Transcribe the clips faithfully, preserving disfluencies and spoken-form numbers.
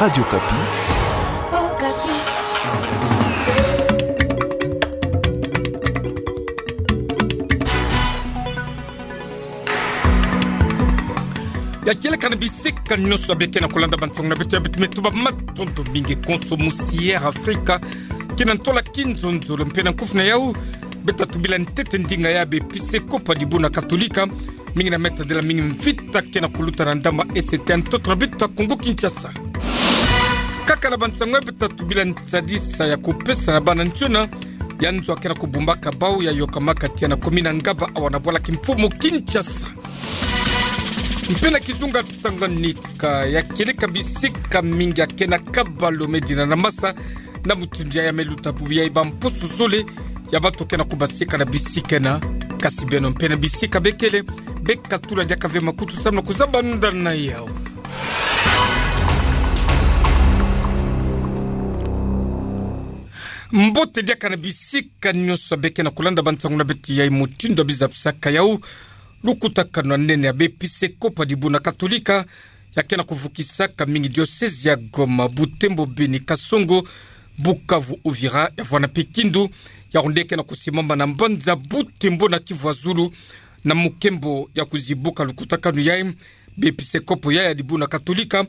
Radio Okapi. Ya kieleka na bisika nyonso ya beke na kolanda bansango na beto, ya beto me tuba matondo mingi konso musi Air Afrika, kina ntola kinzonzolo mpe na nkufi na yau, beto tubila ntete ndinga ya bepisekopo ya dibuna Katolika, mingi na meta dela mingi mvita ke na kuluta na ndambu ya S T N ntoto na beto ya Kongo Kinshasa. Kaka na bansango ya beto tubila nsadisa ya kupesa na bana ntiona, ya nzo ke na kubumbaka bau ya yokamaka tiya na komina Ngaba awa na bwala kimfumu Kinshasa. Mpe na kizunga Tanganyika, ya kieleka bisika mingi ya ke na kabalu me dina na masa, na mutindu ya ya me luta bubu ya bamposo zole, ya bato ke na kubasika na bisika ena, kasi beno mpe na bisika bekele, beka tula diaka ve makutu samu na kuzaba nda na yau. Mbote diaka na bisika nyonso beke na kolanda bansango na beto ya mutindu ya bizabisaka yau, lukutakanu ya nene ya bepisekopo ya dibuna Katolika, ya ke na kuvukisaka mingi diosezi ya Goma, Butembo, Beni, Kasongo, Bukavu, Uvira, ya vwanda mpe Kindu, ya onde ke na kusimama na mbanza Butembo na Kivu ya Zulu, na mukembo ya kuzibuka lukutakanu yayi, bepisekopo ya ya dibuna Katolika,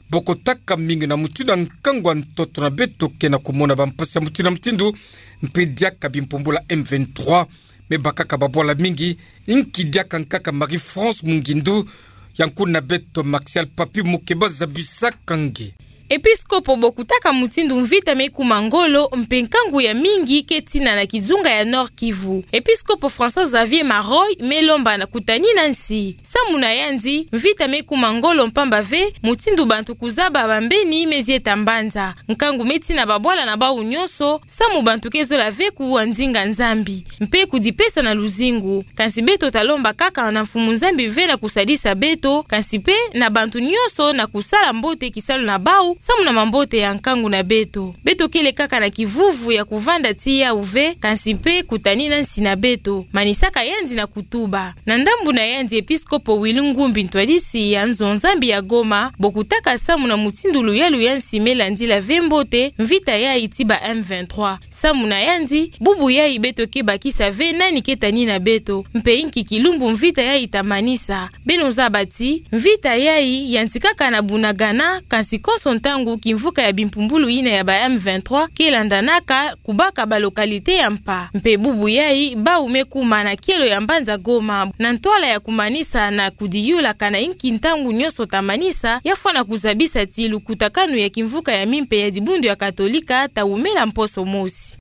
bokotaka mingi na mutindu ya nkangu ya ntoto na beto ke na kumona bampasi ya mutindu na mutindu, mpe diaka bimpumbulu ya M vingt-trois, me bakaka babwala mingi, inki diaka nkaka Marie-France Mungindu, ya nkuna beto Martial Papi Mukeba zabisaka nge. Episkopo bokutaka mutindu mvita me kuma ngolo, mpe nkangu ya mingi ke tina na kizunga ya Nord-Kivu. Episkopo François Xavier Maroy me lomba na kutanina nsi. Samu na yandi, mvita me kuma ngolo mpamba ve, mutindu bantu kuzaba bambeni me zieta mbanza. Nkangu me tina babwala na bau nyonso, samu bantu ke zola ve kuwa ndinga Nzambi, mpe kudipesa na luzingu. Kansi beto talomba kaka na Mfumu Nzambi ve na kusadisa beto, kansi mpe na bantu nyonso na kusala mbote kisalu na bau, samu na mambote ya nkangu na beto. Beto kele kaka na kivuvu ya kuvanda tii yau ve, kansi mpe kutanina nsi na beto, manisaka yandi na kutuba. Na ndambu na yandi, episkopo Willy Ngumbi, ntwadisi ya nzo Nzambi ya Goma, bokutaka samu na mutindu luyalu ya nsi me landila ve mbote mvita yayi ti ba M vingt-trois. Samu na yandi, bubu yayi beto ke bakisa ve nani ke tanina beto, mpe inki kilumbu mvita yayi tamanisa. Beno zaba ti, mvita yayi yantikaka na Bunagana, kansi konso ntangu kimvuka ya bimpumbulu yina ya ba M vingt-trois ke landanaka kubaka ba localité ya mpa. Mpe bubu yayi, bau me kuma na kielo ya mbanza Goma, na ntwala ya kumanisa na kudiyula kana inki ntangu nyonso tamanisa, ya fwana kuzabisa ti lukutakanu ya kimvuka ya mimpe ya dibundu ya Katolika tawumela mposo mosi.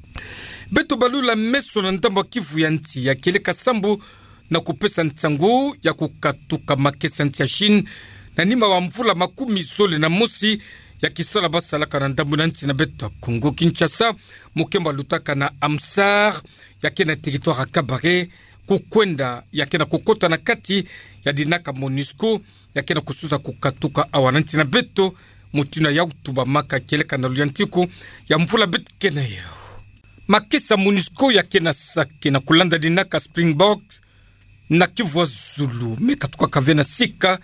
Beto balula meso na ndambu ya Kivu ya nti, ya kieleka sambu na kupesa nsangu ya kukatuka makesa nti ya Chine, na nima wa mvula makumi zole na mosi ya kisala basalaka na ndambu na nti na beto ya Kongo Kinshasa, mukembo lutaka na Amsar, ya ke na territoire ya Kabare, kukwenda ya ke na kukota na kati ya dinaka MONUSCO, ya ke na kusuza kukatuka awa na nti na beto, mutindu ya utubamaka kieleka na luyantiku ya mvula beto ke na yau. Makesa MONUSCO ya ke na sake na kulanda dinaka Springbok, na Kivu ya Zulu, me katukaka ve na sika,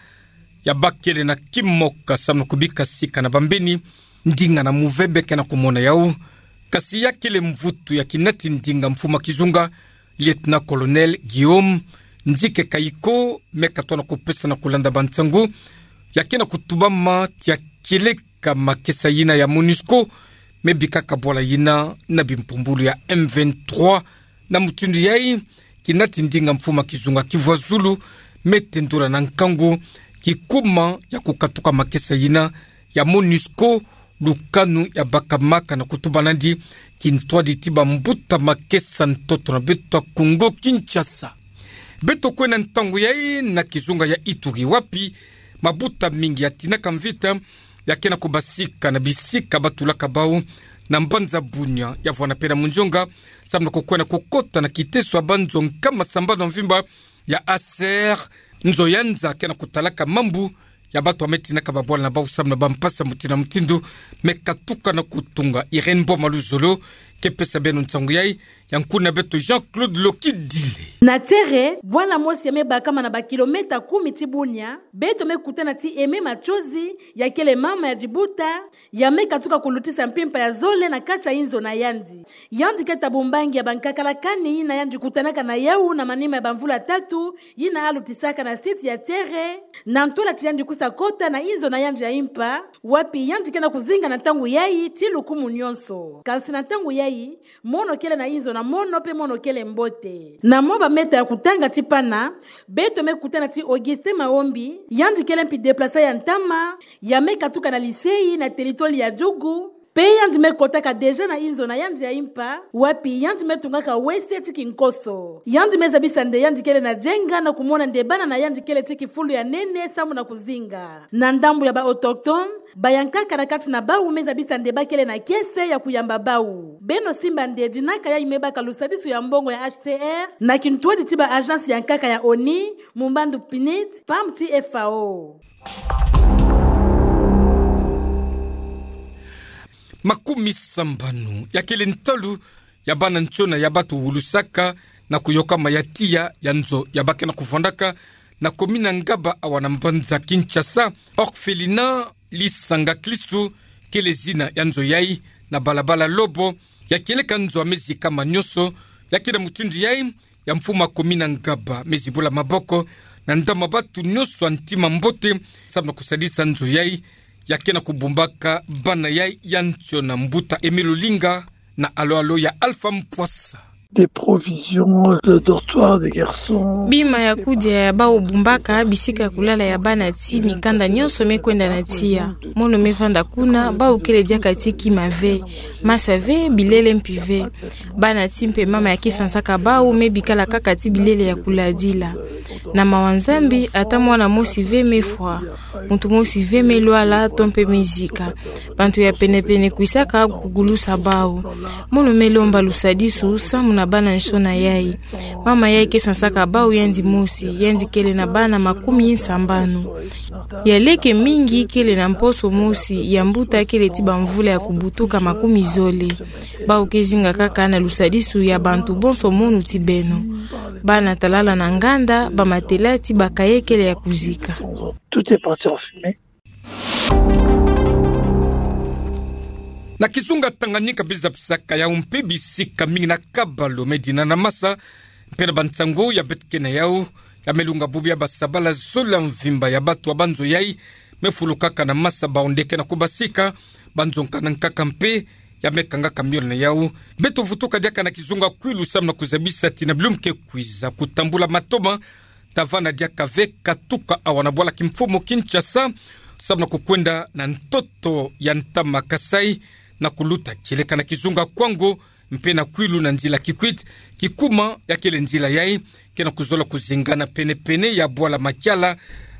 ya bakele na kimoka samu na kubika sika na bambeni, ndinga na move beke na kumona yau. Kasi ya kele mvutu ya kinati ndinga mfumu kizunga, Lieutenant-colonel Guillaume Nzike Kayiko, me katona kupesa na kulanda bansangu, ya ke na kutubama ti ya kieleka makesa yina ya MONUSCO, me bikaka bwala yina na bimpumbulu ya M vingt-trois, na mutindu yayi, kinati ndinga mfumu kizunga Kivu ya Zulu, me tendula na nkangu kikuma ya kukatuka makesa yina ya MONUSCO, lukanu ya bakamaka na kutuba nandi kintwadi ti bambuta makesa ntoto na beto ya Kongo Kinshasa. Beto kwenda ntangu yayi na kizunga ya Ituri, wapi mabuta mingi ya tinaka mvita ya ke na kubasika na bisika batulaka bau, na mbanza Bunia, ya vwanda mpe na Mundionga, samu na kukwenda kukota na kiteso ya banzo nkama sambanu mvimba ya ASER, nzo ya nza ke na kutalaka mambu ya bato ya me tinaka babwala na bau samu na bampasi ya mutindu na mutindu me katuka na kutunga. Irène Boma Luzolo ke pesa beno nsangu yai, ya nkuna beto Jean-Claude Lokidile. Na Tiéré, bwala mosi ya me bakama na ba kilomètre kumi ti bunia, beto me kutana ti Aimé Matsozi, ya kele mama ya dibuta, ya me katuka kulutisa mpimpa ya zole na kati ya inzo na yandi. Yandi ke tabu mbangi ya bankaka la kani yina yandi kutanaka na yau na manima ya bamvula tatu, yina alutisaka na site ya Tiéré, na ntwala ti yandi kusa kota na inzo na yandi ya impa, wapi yandi ke na kuzinga na ntangu yai ti lukumu nyonso. Kansi na ntangu yai, mono kele na inzo na mono mpe mono kele mbote. Na mwa ba mètre ya kutanga ti pana, beto me kutana ti Augustin Maombi, yandi kele mpi déplacé ya ntama, ya me katuka na lycée na territoire ya Djougou, mpe yandi me kotaka déjà na inzo na yandi ya impa, wapi yandi me tungaka W C ti kinkoso. Yandi me zabisa nde yandi kele na jenga na kumona nde bana na yandi kele ti kifulu ya nene samu na kuzinga. Na ndambu ya ba autochtones, bayankaka na kati na bau me zabisa nde ba kele na kiese ya kuyamba bau. Beno simba nde dinaka yai me baka lusadisu ya mbongo ya H C R, na kintwadi ti ba agence ya nkaka ya ONU, Mumbandu PNUD, PAM ti F A O. Makumi sambanu ya kele ntalu ya bana ntiona ya ba tuwulusaka na kuyokama ya tiya ya nzo ya ba ke na kuvwandaka na komina Ngaba awa na mbanza Kinshasa. Orphelinat Lisanga Klistu kele zina ya nzo yai, na balabala Lobo, ya kieleka nzo ya me zikama nyonso. Ya ke na mutindu yai, ya mfumu ya komina Ngaba me zibula maboko na ndambu ya batu nyonso ya ntima mbote, samu na kusadisa nzo yai, ya ke na kubumbaka bana yai ya ntiona. Mbuta Emile Olinga na alo-alo ya Alpha Mpwasa. Des provisions, le dortoir des garçons. Bima ya kudia ya bau bumbaka, bisika ya kulala ya bana ti mikanda nyonso me kwenda na tiya. Mono me vanda kuna, bau kele diaka ti kima ve, masa ve, bilele mpi ve. Bana ti mpe mama ya ke sansaka bau me bikala kaka ti bilele ya kuladila. Na mawa Nzambi, ata mwana mosi ve me fwa, muntu mosi ve me lwala to mpe me zika. Bantu ya pene-pene kwisaka kugulusa bau. Mono me lomba lusadisu samu na bana ntiona yai. Mama yai ke sansaka bau yandi mosi, yandi kele na bana makumi sambanu. Ya leke mingi kele na mposo mosi, ya mbuta kele ti bamvula ya kubutuka makumi zole. Bau ke zinga kaka na lusadisu ya bantu bonso munu ti beno. Bana talala na nganda, ba matelas ti ba cahiers kele ya kuzika. Tout est parti en fumée. Na kizunga Tanganyika, biza bisaka yau mpe bisika mingi na Kabalu, Medina na Masa, mpe na bansangu ya beto ke na yau, ya me lunga bubu ya basabala zole ya mvimba ya batu ya banzo yai me fulukaka na masa, bau nde ke na kubasika, banzo nkaka na nkaka mpe ya me kangaka miole na yau. Beto vutuka diaka na kizunga Kwilu samu na kuzabisa ti na bilumbu ke kwiza, kutambula matoma ta vanda diaka ve katuka awa na bwala kimfumu Kinshasa, samu na kukwenda na ntoto ya ntama Kasaï, na kuluta kieleka na kizunga Kwango, mpe na Kwilu na nzila Kikwit, Kikuma, ya kele nzila yai ke na kuzola kuzengana pene-pene ya bwala Makiala,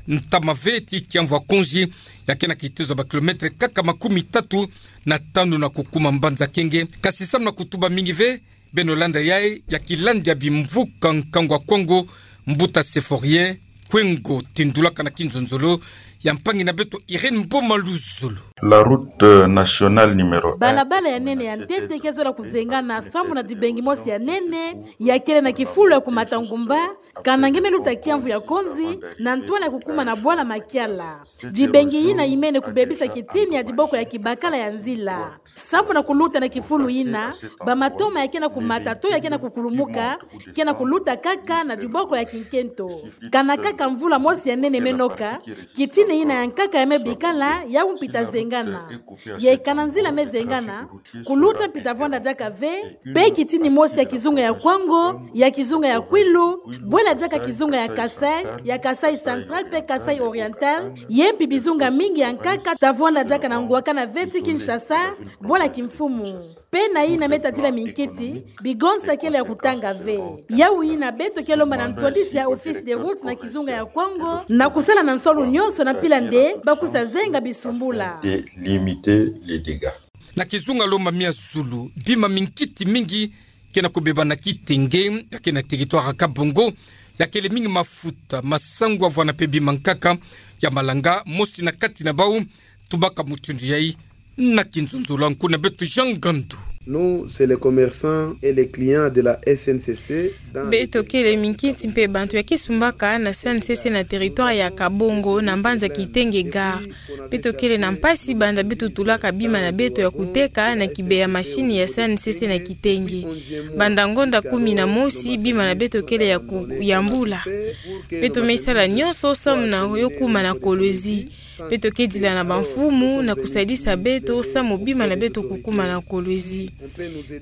ntama ve ti kiamvu ya Konzi, ya ke na kitezo ba kilomètre kaka makumi tatu na tanu na kukuma mbanza Kenge. Kasi samu na kutuba mingi ve, beno landa yai ya kilandi ya bimvuka nkangu ya Kwango, mbuta Symphorien Kwengo, tindulaka na kinzonzolo ya mpangi na beto Irène Mboma Luzolo. La route nationale numéro un. Balabala ya nene ya ntete ke zola kuzengana samu na dibengi mosi ya nene, ya kele na kifulu ya kumata ngumba, kana nge me luta kiamvu ya Konzi, na ntwala ya kukuma na bwala Makiala. Dibengi yina yimene kubebisa kitini ya diboko ya kibakala ya nzila. Samu na kuluta na kifulu yina, ba matoma ya ke na kumata to ya ke na kukulumuka, ke na kuluta kaka na diboko ya kinkento. Kana kaka mvula mosi ya nene me noka, kitini yina ya nkaka ya me bikala, yau mpi ta zengana. Ye kana nzila me zengana, kuluta mpi ta vwanda diaka ve, mpe kitini mosi ya kizunga ya Kwango, ya kizunga ya Kwilu, bwela diaka kizunga ya Kasaï, ya Kasaï Central mpe Kasaï Oriental, ye mpi bizunga mingi ya nkaka ta vwanda diaka na ngwakana ve ti Kinshasa, bwala kimfumu. Mpe na yina me tadila minkiti, bigonsa kele ya kutanga ve. Yau yina beto ke lomba na ntwadisi ya Office des routes na kizunga ya Kwango, na kusala na nsolo nyonso na mpila nde ba kusa zenga bisumbula. De limiter les dégâts. Na kizunga Lomami ya zulu, bima minkiti mingi ke na kubeba na Kitenge, ya ke na territoire ya Kabongo, ya kele mingi mafuta, masangu ya vwanda mpe bima nkaka, ya malanga mosi na kati na bau tubaka mutindu yai na kinzonzolo. Nkuna beto Jean Ngandu. Nous, c'est les commerçants et les clients de la S N C C. Beto kele minkisi mpe bantu ya kisumbaka na S N C C na territoire ya Kabongo na mbanza Kitenge Gare. Beto kele na mpasi banda beto tulaka bima na beto ya kuteka na kibe ya mashini ya S N C C na Kitenge. Banda ngonda kumi na mosi, bima na beto kele ya kuyambula. Beto me sala nyonso samu na yo kuma na Kolwezi. Beto ke dila na bamfumu na kusadisa beto samu bima na beto kukuma na Kolwezi.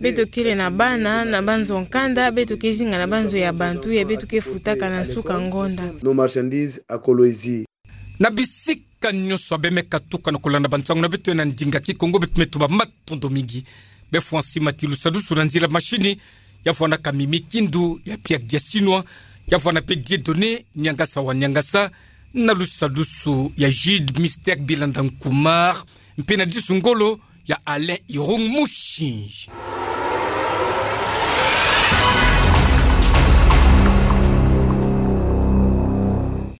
Beto kele na bana na banzo nkanda, beto ke zinga na banzo ya bantu ya beto ke futaka na nsuka ngonda. Nos marchandises à Kolwezi. Na bisika nyonso abe me katuka na kolanda bansangu na beto na ndinga Kikongo, beto me tuba matondo mingi. Be fwa nsi mati lusadusu na nzila mashini, ya fwa na Kamimi Kindu, ya Pierre Diasinwa, ya fwa na mpe Dieudonné Niangasa wa Niangasa, na lusadusu ya Jude Mister Bilanda Nkumar, mpe na disu ngolo ya Alain Irung Mushinji.